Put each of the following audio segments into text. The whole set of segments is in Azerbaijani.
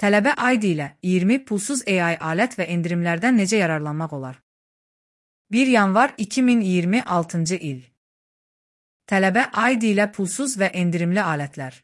Tələbə ID ilə 20 pulsuz AI alət və endirimlərdən necə yararlanmaq olar? 1 yanvar 2026 il. Tələbə ID ilə pulsuz və endirimli alətlər.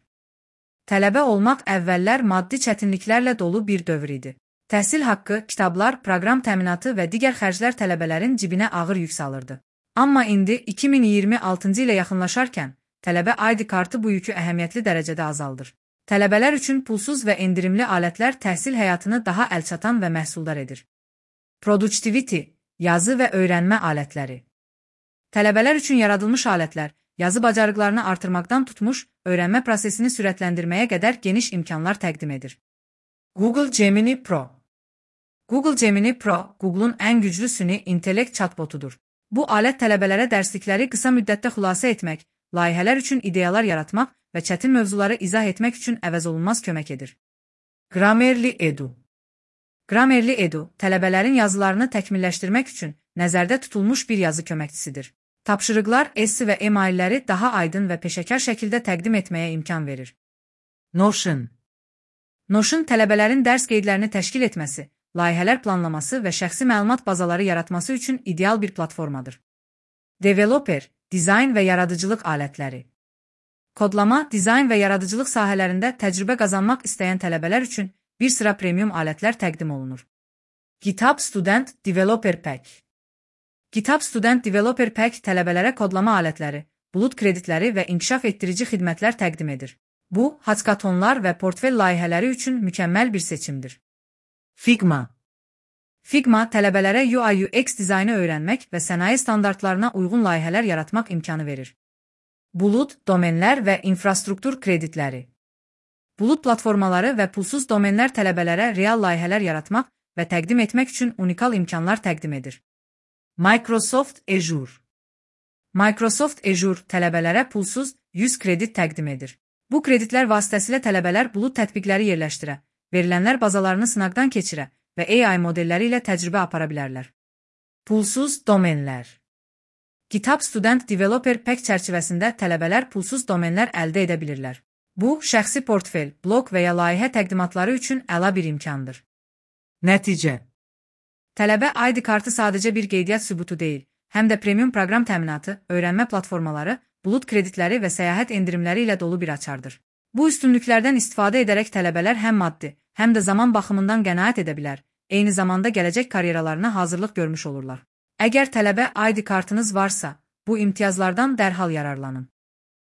Tələbə olmaq əvvəllər maddi çətinliklərlə dolu bir dövr idi. Təhsil haqqı, kitablar, proqram təminatı və digər xərclər tələbələrin cibinə ağır yük salırdı. Amma indi 2026 ilə yaxınlaşarkən, tələbə ID kartı bu yükü əhəmiyyətli dərəcədə azaldır. Tələbələr üçün pulsuz və endirimli alətlər təhsil həyatını daha əlçatan və məhsuldar edir. Productivity, yazı və öyrənmə alətləri. Tələbələr üçün yaradılmış alətlər, yazı bacarıqlarını artırmaqdan tutmuş, öyrənmə prosesini sürətləndirməyə qədər geniş imkanlar təqdim edir. Google Gemini Pro. Google Gemini Pro, Google'un ən güclü süni intellekt chatbotudur. Bu alət tələbələrə dərslikləri qısa müddətdə xülasə etmək, layihələr üçün ideyalar yaratmaq və çətin mövzuları izah etmək üçün əvəzolunmaz kömək edir. Grammarly Edu. Grammarly Edu, tələbələrin yazılarını təkmilləşdirmək üçün nəzərdə tutulmuş bir yazı köməkçisidir. Tapşırıqlar, essi və emailləri daha aydın və peşəkar şəkildə təqdim etməyə imkan verir. Notion. Notion tələbələrin dərs qeydlərini təşkil etməsi, layihələr planlaması və şəxsi məlumat bazaları yaratması üçün ideal bir platformadır. Developer, dizayn və yaradıcılıq alətləri. Kodlama, dizayn və yaradıcılıq sahələrində təcrübə qazanmaq istəyən tələbələr üçün bir sıra premium alətlər təqdim olunur. GitHub Student Developer Pack. GitHub Student Developer Pack tələbələrə kodlama alətləri, bulut kreditləri və inkişaf etdirici xidmətlər təqdim edir. Bu, hackathonlar və portfel layihələri üçün mükəmməl bir seçimdir. Figma. Figma tələbələrə UI/UX dizaynı öyrənmək və sənaye standartlarına uyğun layihələr yaratmaq imkanı verir. Bulut, domenlər və infrastruktur kreditləri. Bulut platformaları və pulsuz domenlər tələbələrə real layihələr yaratmaq və təqdim etmək üçün unikal imkanlar təqdim edir. Microsoft Azure. Microsoft Azure tələbələrə pulsuz 100 kredit təqdim edir. Bu kreditlər vasitəsilə tələbələr bulut tətbiqləri yerləşdirə, verilənlər bazalarını sınaqdan keçirə və AI modelləri ilə təcrübə apara bilərlər. Pulsuz domenlər. GitHub Student Developer Pack çərçivəsində tələbələr pulsuz domenlər əldə edə bilirlər. Bu, şəxsi portfel, blog və ya layihə təqdimatları üçün əla bir imkandır. Nəticə. Tələbə ID kartı sadəcə bir qeydiyyat sübutu deyil, həm də premium proqram təminatı, öyrənmə platformaları, bulut kreditləri və səyahət endirimləri ilə dolu bir açardır. Bu üstünlüklərdən istifadə edərək tələbələr həm maddi, həm də zaman baxımından qənaət edə bilər, eyni zamanda gələcək karyeralarına hazırlıq görmüş olurlar. Əgər tələbə ID kartınız varsa, bu imtiyazlardan dərhal yararlanın.